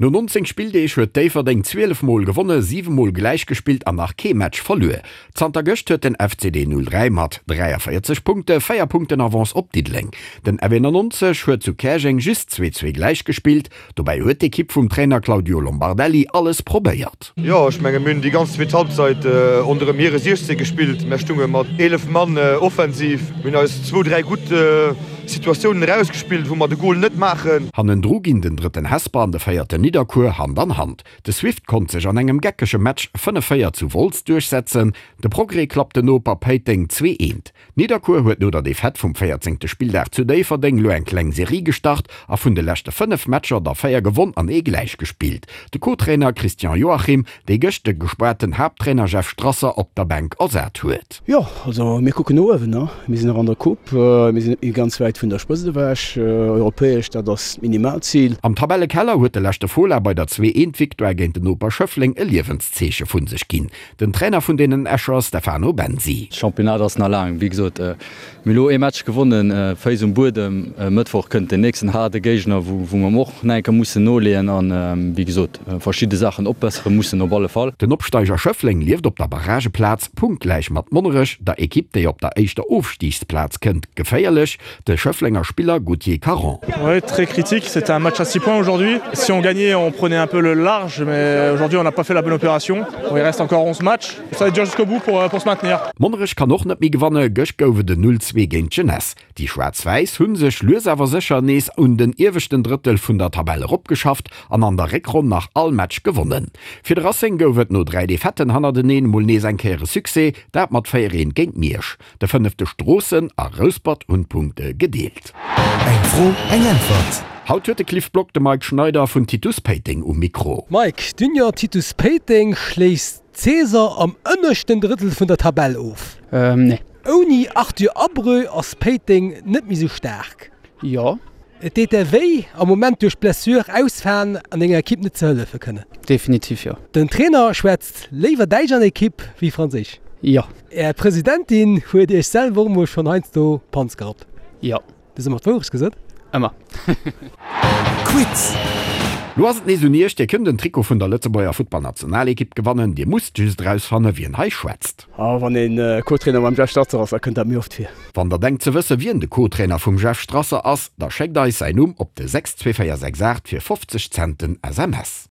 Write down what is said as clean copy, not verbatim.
No 19 Spilldeeg huet Déifferdeng 12 Mol gewonne, 7 Mol gläich gespillt an nach kee Match verluer. Zanter gëscht huet den FCD 03 mat 43 Punkte 4 Punkten Avance op Diddeleng. Den F91 huet zu Käerjeng just 2, 2 gläich gespillt. Dobäi huet d'Ekipp vum Trainer Claudio Lombardelli alles probéiert. Jo, ech menge mir hunn déi ganz zweet Halbzeit ronderëm hire 16 gespillt. Mär stunge mat 11 Mann offensiv. Mir hunn eis zwou, dräi gutt Situatiounen erausgespillt, wou mer de Gol net maachen. Hannendru ginn den drëtten Hesper an de véierten Nidderkuer Hand an Hand. De Swift konnt sech an engem geckege Match 5, 4 zu Wolz duerchsetzen. De Progrès klappt den Noper Péiteng 2, 1. Nidderkuer huet no der Defaite vum véierzéngte Spilldag zu Déifferdeng lo eng kleng Serie gestart a vun de leschte 5 Matcher der 4 gewonn an ee gläich gespillt. De Co-Trainer Christian Joachim, dee gëscht de gespaarten Haapttrainer Jeff Strasser op der Bänk ersat huet. Jo, also mir kucken no uewen. Mir sinn nach an der Coupe, mir sinn net méi ganz wäit vun der Spëtzt ewech. Europäesch, dat ass d'Minimalzil. Am Tabellekeller huet de leschte Fola bei der 2 Eent Victoire géint den Noper Schëffleng e Liewenszeeche vu sech ginn. Den Trainer vun deenen Escher Stefano Bensi. Championnat ass nach laang, wéi gesot. Mir hu lo ee Match gewonnen, Féiss um Buedem. E Mëttwoch kënnt den nächsten haarde Géigner, wou mer och nach eng Kéier mussen noleeën an, wéi gesot, verschidde Saachen opbessere mussen op alle Fall. Den Opsteiger Schëffleng lieft op der Barrageplaz, punktgläich mat Monnerech, der Ekipp, déi op der éischter Ofstigsplaz kënnt. Geféierlech, de Schëfflenger Spiller Gauthier Caron. Ouais, très critique, c'était un match à 6 points aujourd'hui. Si on gagnait, on prenait un peu le large, mais aujourd'hui on n'a pas fait la bonne opération. Bon, il reste encore 11 matchs. Ça va être dur jusqu'au bout pour, pour se maintenir. Monnerech kann och net méi gewanne, gëscht gouf et en 0, 2 géint d'Jeunesse. Déi Schwaarz-Wäiss hu sech lues awer sécher nees un den ieweschten Drëttel vun der Tabell eropgeschafft an an der Réckronn nach all Match gewonnen. Fir de Racing gouf et no 3 Defaitten hannerteneen mol nees eng Kéier e Succès, dat mat 4, 1 géint Miersch. De fënnefte Stroossen a Rouspert hunn d'Punkte gedeelt. Eng Fro, eng Äntwert. Haut huet de Cliff Block de Mike Schneider vun Titus Péiteng um Mikro. Mike, d'Union Titus Péiteng schléisst d'Saison am ënneschten Drëttel vun der Tabell of. Nee. Ouni Arthur Abreu ass Péiteng net méi sou staark. Jo. Et deet der wéi, am Moment duerch Blessure ausfalen an denger Ekipp net ze hëllefe kënnen? Definitiv jo. Den Trainer schwätzt léiwer Däitsch an der Ekipp wéi Franséisch? Jo. Är Presidentin huet iech selwer och mol schonn heiansdo Panz gerappt? Jo. Du hues ëmmer d'Wourecht gesot? Ëmmer. Quiz! Lo ass et nees un iech, Dir kënnt en Trikot vun der Lëtzebuerger Futtballnationalekipp gewannen. Dir musst just erausfanne wien hei schwätzt. A wann een Co-Trainer mam Jeff Strasser ass, da kënnt dat méi oft vir. Wann der denkt ze wësse wien de Co-Trainer vum Jeff Strasser ass, da schéckt eis säin Numm op de 62468 fir 50 Cent den SMS.